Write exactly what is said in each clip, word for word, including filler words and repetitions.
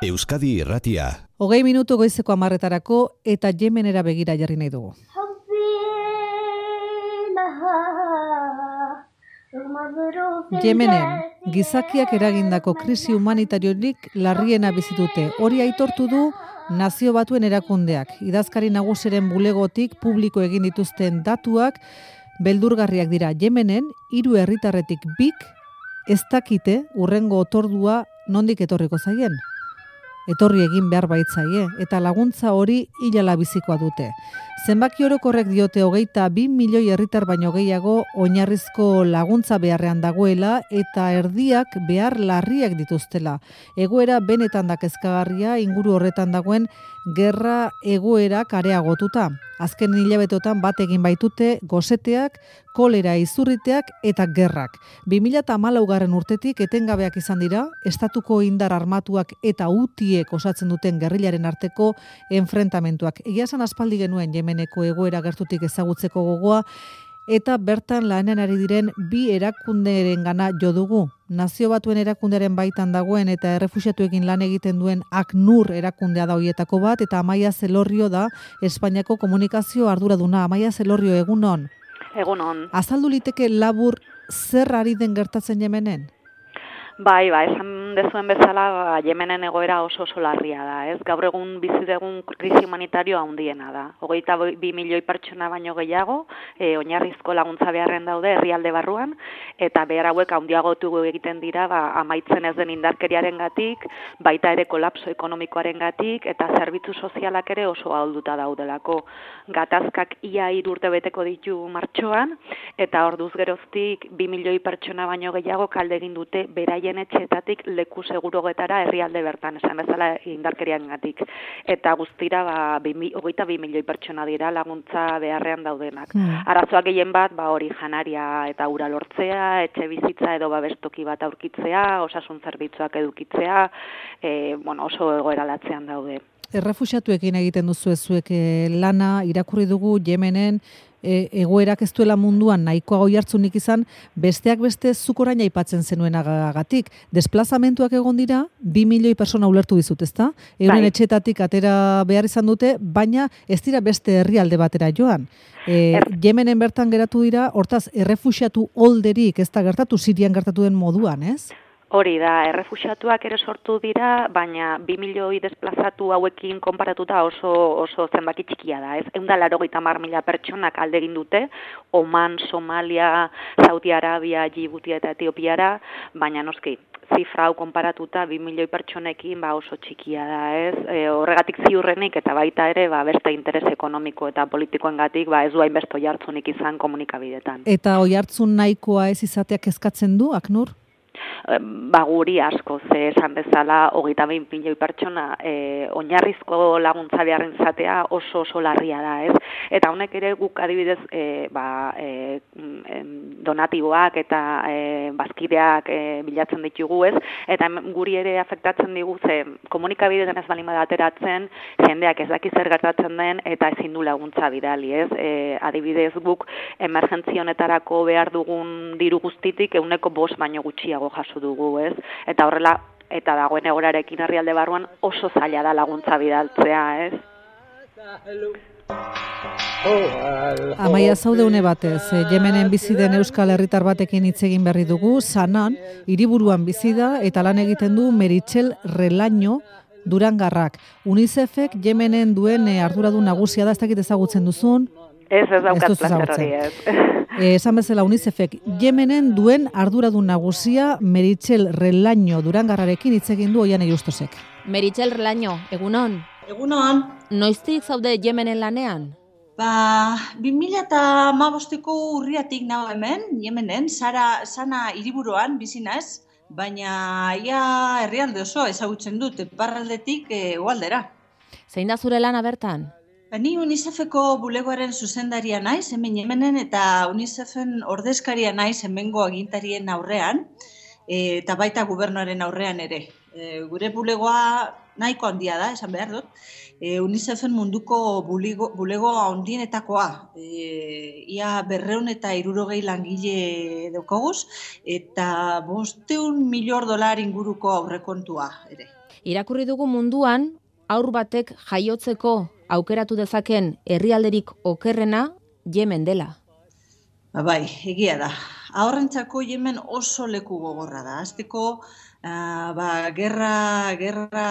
Euskadi Irratia. Hogei minutu goizeko hamarretarako eta Yemenera begira jarri nahi dugu. Yemenen, gizakiak eragindako krisi humanitariorik larriena bizitute. Hori aitortu du Nazio Batuen erakundeak. Idazkari nagusiren bulegotik publiko egin dituzten datuak beldurgarriak dira. Yemenen, hiru herritarretik bik ez dakite hurrengo otordua nondik etorriko zaien. Etorri egin behar baitzaie, eta laguntza hori hilala bizikoa dute. Zenbaki orokorrek diote hogeita bi milioi herritar baino gehiago oinarrizko laguntza beharrean dagoela eta erdiak behar larriak dituztela. Egoera benetan da kezkagarria inguru horretan dagoen gerra egoerak areagotuta. Azken hilabeteotan bat egin baitute goseteak, kolera izurriteak eta gerrak. bi mila hamalaugarren urtetik etengabeak izan dira, estatuko indar armatuak eta hutiek osatzen duten gerrilaren arteko enfrentamentuak. Egia esan aspaldi genuen Yemeneko egoera gertutik ezagutzeko gogoa, eta bertan lanean ari diren bi erakundeerengana jo dugu. Nazio Batuen erakundearen baitan dagoen eta errefuxiatuekin lan egiten duen ACNUR erakundea da hoietako bat, eta Amaia Zelorrio da Espainiako komunikazio arduraduna. Amaia Zelorrio, egunon. Egunon. Azaldu liteke labur zer ari den gertatzen Yemenen? Bai, ba, esan dezuen bezala, Yemenen egoera oso oso larria da, ez? Gaur egun bizi dugun krisi humanitario handiena da. Hogeita bi milioi pertsona baino gehiago, e, oinarrizko laguntza beharren daude herrialde barruan, eta behar hauek handiagotu egiten dira, ba, amaitzen ez den indarkeriarengatik, baita ere kolapso ekonomikoarengatik, eta zerbitzu sozialak ere oso ahulduta daudelako. Gatazkak ia hiru urte beteko ditu martxoan, eta orduz geroztik bi milioi pertsona baino gehiago kalde egin dute beraien etxeetatik leku segurugetara herrialde bertan, esan bezala indarkeriarengatik. Eta guztira ba, hogeita bi milioi pertsona dira laguntza beharrean daudenak. Mm. Arazoak gehien bat, ba, hori janaria eta ura lortzea, etxe bizitza edo babestoki bat aurkitzea, osasun zerbitzuak edukitzea, e, bueno, oso egoera latzean daude. Errefuxiatuekin egiten duzu ezuek lana, irakurri dugu Yemenen, E, egoerak ez duela munduan nahikoa oihartzunik izan, besteak beste zuk orain aipatzen zenuenagatik. Desplazamentuak egon dira, bi milioi persona ulertu dizut, ezta? Euren bai. Etxetatik atera behar izan dute, baina ez dira beste herrialde batera joan. E, er. Yemenen bertan geratu dira, hortaz, errefuxiatu olderik, ez da gertatu, Sirian gertatu den moduan, ez? Hori da, errefuxiatuak ere sortu dira, baina bi milioi desplazatu hauekin konparatuta oso oso zenbaki txikia da, ez? Ehun eta laurogeita hamar mila pertsonak alde egin dute, Oman, Somalia, Saudi Arabia, Djibouti eta Etiopiara, baina noski, zifra hau konparatuta bi milioi pertsonekin ba oso txikia da, ez? E, horregatik ziurrenik eta baita ere ba beste interes ekonomiko eta politikoengatik ba ez du hainbeste oihartzunik izan komunikabidetan. Eta oihartzun nahikoa ez izateak kezkatzen du, ACNUR? Ba guri asko, ze esan bezala hogeita bi milioi pertsona e, oinarrizko laguntza beharren izatea oso oso larria da, ez? Eta honek ere guk adibidez e, ba, e, donatiboak eta e, bazkideak e, bilatzen ditugu, ez? Eta guri ere afektatzen digu, ze komunikabidetan ez balin bada ateratzen, jendeak ez daki zer gertatzen den eta ezin du laguntza bidali, ez? E, adibidez guk emergentzia honetarako behar dugun diru guztitik ehuneko bost baino gutxiago jaso dugu, ez? Eta horrela, eta dagoen egorarekin herrialde barruan oso zaila da laguntza bidaltzea, ez? Amaia, zaude une batez, Yemenen bizi den euskal herritar batekin hitz egin berri dugu, Sanan, hiriburuan bizi da eta lan egiten du Meritxell Relaño Durangarrak. UNICEFek Yemenen duen arduradun nagusia da, ez dakit ezagutzen duzun? Ez, ez daukat plazer hori, ez. Eh, esan bezala UNICEFek Yemenen duen arduradun nagusia Meritxell Relaño Durangarrarekin hitz egin du Oiane Justosek. Meritxell Relaño, egunon? Egunon. Noiztik zaude Yemenen lanean? Ba, bi mila hamabosteko urriatik nago hemen, Yemenen, Sara, Sana hiriburuan bizi naiz, baina ia herrialde oso ezagutzen dut, iparraldetik hegoaldera. Zein da zure lana bertan? Ni UNICEFeko bulegoaren zuzendaria naiz, hemen Yemenen, eta UNICEFen ordezkaria naiz hemengo agintarien aurrean, eta baita gobernuaren aurrean ere. E, gure bulegoa nahiko handia da, esan behar dut. E, UNICEFen munduko bulego, bulego handienetakoa. E, ia berreun eta hirurogei langile daukaguz, eta bosteun milior dolar inguruko aurrekontua ere. Irakurri dugu munduan, haur batek jaiotzeko aukeratu dezaken herrialderik okerrena Yemen dela. Ba, bai, egia da. Haurrentzako Yemen oso leku gogorra da. Azteko, uh, ba, gerra, gerra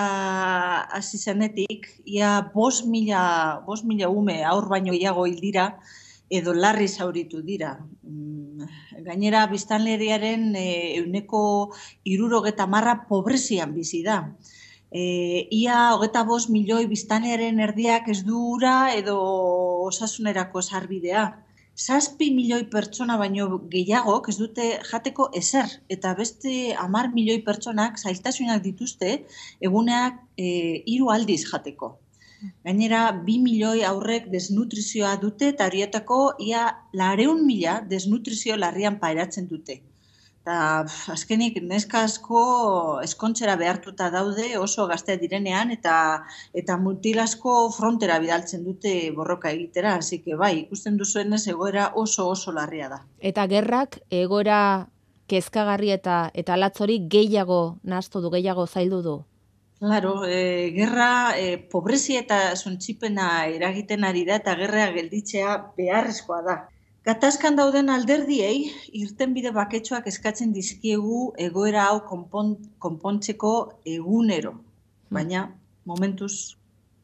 hasi zenetik, ia bost mila, bost mila ume haur baino gehiago hil dira, edo larri zauritu dira. Gainera, biztanleriaren e, euneko hirurogeta marra pobrezian bizi da. E, ia hogeta bost milioi biztanlearen erdiak ez du ura edo osasunerako sarbidea. Zazpi milioi pertsona baino gehiagok ez dute jateko ezer, eta beste hamar milioi pertsonak zailtasunak dituzte eguneak e, hiru aldiz jateko. Gainera, bi milioi aurrek desnutrizioa dute eta horietako ia lareun mila desnutrizio larrian pairatzen dute. Eta azkenik neska asko eskontzera behartuta daude oso gaztea direnean eta eta mutil asko frontera bidaltzen dute borroka egitera, hasi que bai, ikusten duzuenez egoera oso oso larria da. Eta gerrak egoera kezkagarri eta eta latzori gehiago nahastu du, gehiago zaildu du. Claro, e, gerra e, pobrezia eta suntsipena eragiten ari da eta gerra gelditzea beharrezkoa da. Gatazkan dauden alderdiei irtenbide baketsuak eskatzen dizkiegu egoera hau konpon, konpontzeko egunero, baina momentuz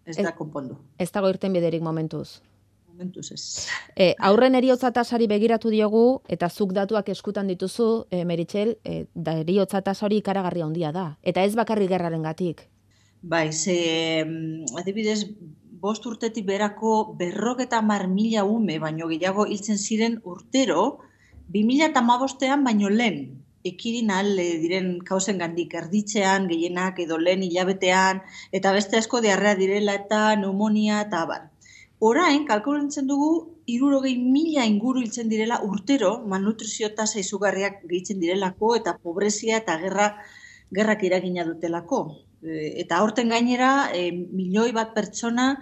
ez da konpondu. Ez dago irtenbiderik momentuz. Momentuz ez. E, aurren eriotza tasari begiratu diogu eta zuk datuak eskutan dituzu, e, Meritxell, e, da eriotza tasa hori ikaragarri handia da. Eta ez bakarrik gerrarengatik. Bai, ze adibidez bost urtetik berako berrogeta hamar mila ume baino gehiago hiltzen ziren urtero, bi mila hamabostean baino lehen ekidin ahal diren kausengandik erditzean, gehienak edo lehen hilabetean, eta beste asko diarrea direla eta pneumonia eta abar. Orain, kalkulatzen dugu, hirurogei mila inguru hiltzen direla urtero, malnutrizio tasa izugarriak gehitzen direlako, eta pobrezia eta gerra, gerrak eragina dutelako. Eta aurten gainera, e, milioi bat pertsona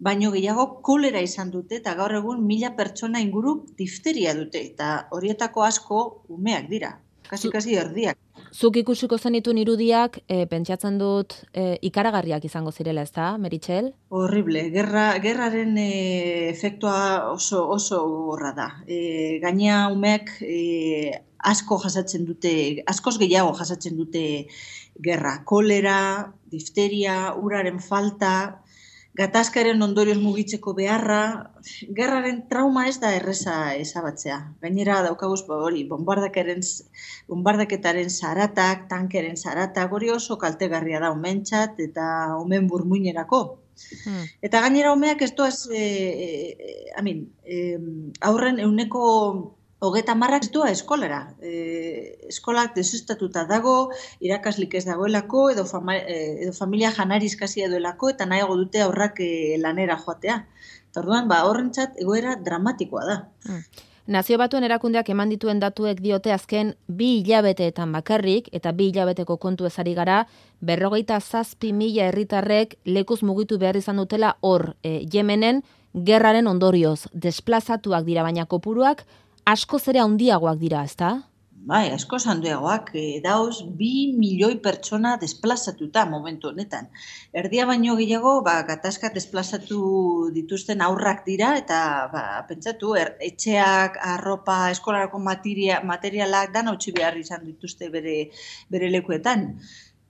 baino gehiago kolera izan dute, eta gaur egun mila pertsona inguru difteria dute, eta horietako asko umeak dira, kasi-kasi erdiak. Zuk ikusiko zenitun irudiak, e, pentsatzen dut e, ikaragarriak izango zirela, ez da, Meritxell? Horrible, gerra, gerraren e, efektua oso oso gogorra da. E, gainea umeak e, asko jasatzen dute, askoz gehiago jasatzen dute gerra. Kolera, difteria, uraren falta, gatazkaren ondorioz mugitzeko beharra, gerraren trauma ez da erreza ezabatzea. Gainera daukaguz hori, bombardaketaren zaratak, tankeren zaratak, hori oso kaltegarria da umentzat eta umen burmuinerako. Hmm. Eta gainera umeak ez doaz, e, e, amin, e, aurren euneko hogeta marrak ez doa eskolara. E, eskolak desustatuta dago, irakaslik ez dagoelako, edo, fama, edo familia janari eskazia duelako, eta nahiago dute aurrak e, lanera joatea. Eta orduan, ba, horrentzat egoera dramatikoa da. Hmm. Nazio Batuen erakundeak eman dituen datuek diote azken bi hilabeteetan bakarrik, eta bi hilabeteko kontu ezari gara, berrogeita zazpi mila herritarrek lekuz mugitu behar izan dutela hor, e, Yemenen gerraren ondorioz. Desplazatuak dira, baina kopuruak askoz ere handiagoak dira, ezta? Bai, askoz handiagoak, e, dauz bi milioi pertsona desplazatuta momentu honetan. Erdia baino gehiago, ba, gatazka desplazatu dituzten aurrak dira, eta ba, pentsatu, er, etxeak, arropa, eskolarako materia, materialak dan hautsi behar izan dituzte bere, bere lekuetan.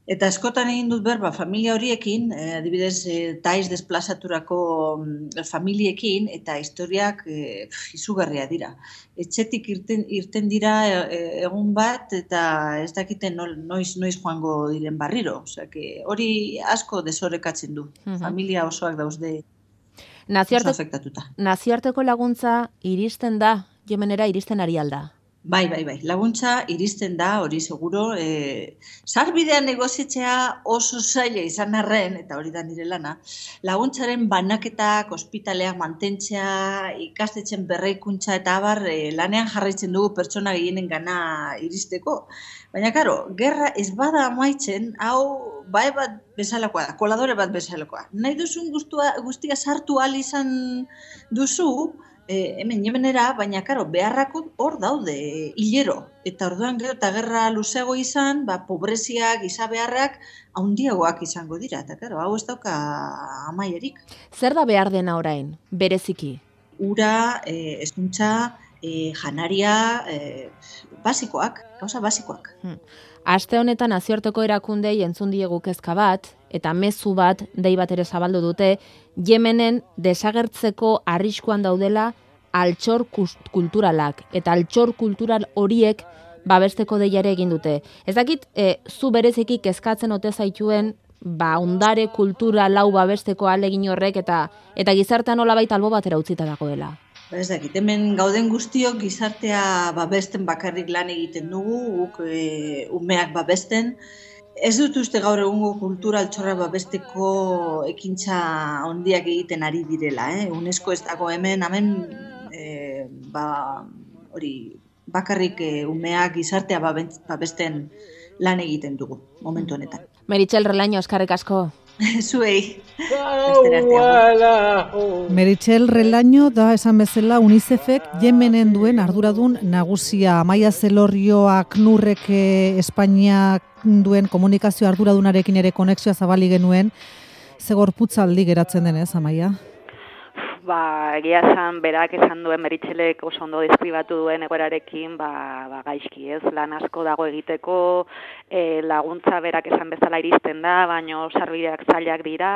Eta askotan egin dut berba familia horiekin, eh, adibidez eh, taiz desplazaturako mm, familiekin, eta historiak eh, izugarria dira. Etxetik irten, irten dira eh, egun bat, eta ez dakiten noiz, noiz joango diren barriro. Osea, que hori asko desorekatzen du. Uh-huh. Familia osoak dauzde Nazioarte, oso afektatuta. Nazioarteko laguntza iristen da, Yemenera iristen ari alda? Bai, bai, bai. Laguntza iristen da, hori seguro. E, sarbidean negozitzea oso zaila izan arren, eta hori da nire lana, laguntzaren banaketak, ospitaleak mantentzea, ikastetxen berraikuntza eta abar, e, lanean jarraitzen dugu pertsona gehienen gana iristeko. Baina, karo, gerra ez bada amaitzen, hau bai bat bezalakoa da, koladore bat bezalakoa. Nahi duzun guztua, guztia sartu ahal izan duzu, e, hemen Yemenera, baina karo, beharrako hor daude, e, hilero. Eta orduan gero eta gerra luzeago izan, ba, pobrezia, giza beharrak, handiagoak izango dira. Eta karo, hau ez dauka amaierik. Zer da behar dena orain, bereziki? Ura, e, hezkuntza, e, janaria, e, basikoak, gauza basikoak. Hmm. Aste honetan nazioarteko erakundei entzun diegu kezka bat, eta mezu bat, dei bat ere zabaldu dute, Yemenen desagertzeko arriskuan daudela altxor kulturalak, eta altxor kultural horiek babesteko deiare egin dute. Ez dakit, e, zu bereziki kezkatzen ote zaituen, ba, ondare kultural hau babesteko ahalegin horrek, eta eta gizartean nolabait albo batera utzita dagoela. Ez dakit, hemen gauden guztiok gizartea babesten bakarrik lan egiten dugu, guk e, umeak babesten. Ez dut uste gaur egungo kultura altxorra babesteko ekintza handiak egiten ari direla. Eh? UNESCO ez dago hemen, hemen e, ba, hori, bakarrik e, umeak gizartea babesten lan egiten dugu, momentu honetan. Meritxell Relaño, eskerrik asko. Zuei. Meritxell Relaño da esan bezala UNICEFek Yemenen duen arduradun nagusia. Amaia Zelorrio Aknurrek Espainiak duen komunikazio arduradunarekin ere konexioa zabali genuen. Ze gorputzaldi geratzen denez, Amaia? Ba, egia esan, berak esan duen Meritxellek oso ondo deskribatu duen egoerarekin, ba, ba gaizki, ez? Lan asko dago egiteko, e, laguntza berak esan bezala iristen da, baino sarbideak zailak dira,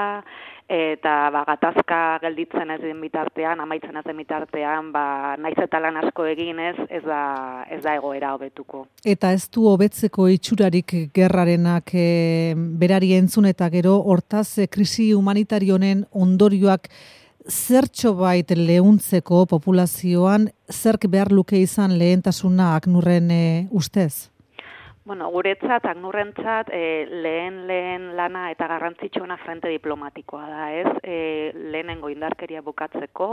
eta ba, gatazka gelditzen ez den bitartean, amaitzen ez den bitartean, ba, naiz eta lan asko eginez, ez da, ez da egoera hobetuko. Eta ez du hobetzeko itxurarik gerrarenak e, berari entzun eta gero, hortaz, e, krisi humanitario honen ondorioak zertxo bait lehuntzeko populazioan, zerk behar luke izan lehentasuna Aknurren e, ustez? Bueno, guretzat, Aknurrentzat, e, lehen lehen lana eta garrantzitsuena frente diplomatikoa da, ez? E, lehenengo indarkeria bukatzeko,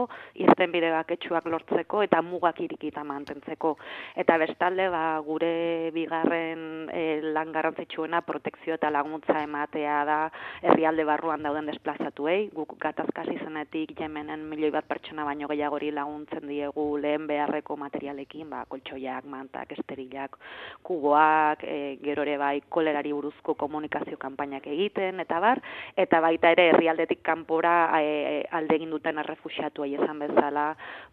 irtenbide baketsuak lortzeko eta mugak irikita mantentzeko. Eta bestalde, ba, gure bigarren e, lan garrantzitsuena protekzio eta laguntza ematea da herrialde barruan dauden desplazatuei. Guk gatazkaz izenetik Yemenen milioi bat pertsona baino gehiagori laguntzen diegu lehen beharreko materialekin, ba, koltsoiak, mantak, esterilak, kuboak, E, gero ere bai kolerari buruzko komunikazio kanpainak egiten, eta bar, eta baita ere herrialdetik kanpora e, alde egin duten errefuxiatuei esan bezala,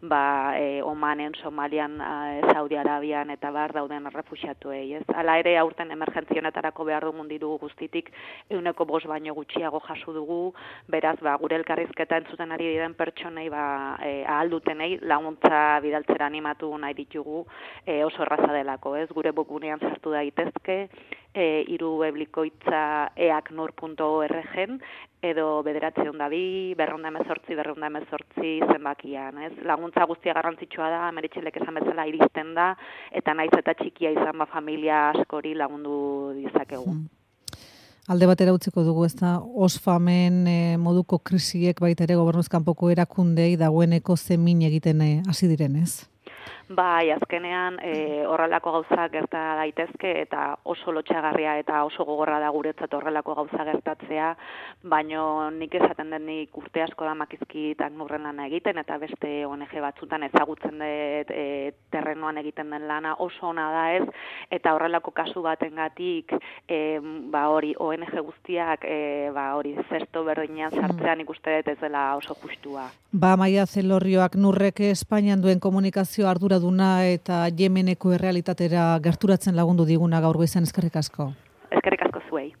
ba, e, Omanen, Somalian, e, Saudi Arabian, eta bar dauden errefuxiatuei, ez? Hala ere, aurten emergentzionetarako behar dugun diru guztitik ehuneko bost baino gutxiago jaso dugu, beraz, ba, gure elkarrizketa entzuten ari diren pertsonei, ba, e, ahal dutenei laguntza bidaltzera animatu nahi ditugu, e, oso erraza delako, ez? Gure webgunean sartu daite daitezke, e, iru weblikoitza eaknur punto org edo bederatziehun eta bi, berrehun eta hemezortzi, berrehun eta hemezortzi zenbakian, ez? Laguntza guztia garrantzitsua da, Meritxellek esan bezala iristen da, eta naiz eta txikia izan ba familia askori lagundu dizakegu. Hmm. Alde batera utziko dugu, ez da, Oxfamen e, moduko krisiek baita ere gobernuz kanpoko erakundei dagoeneko zemin egiten hasi direnez? Bai, azkenean e, horrelako gauza gerta daitezke eta oso lotxagarria eta oso gogorra da guretzat horrelako gauza gertatzea, baino nik esaten denik urte asko da makizkit Aknurren lana egiten eta beste O N G batzutan ezagutzen dut e, terrenoan egiten den lana oso ona da ez, eta horrelako kasu batengatik e, ba hori O N G guztiak e, ba hori zesto berdinean sartzean ikuste dut ez dela oso justua. Ba, Amaia Zelorrio Aknurrek Espainian duen komunikazio arduraduna eta Yemeneko errealitatera gerturatzen lagundu diguna gaur goizean, eskerrik asko.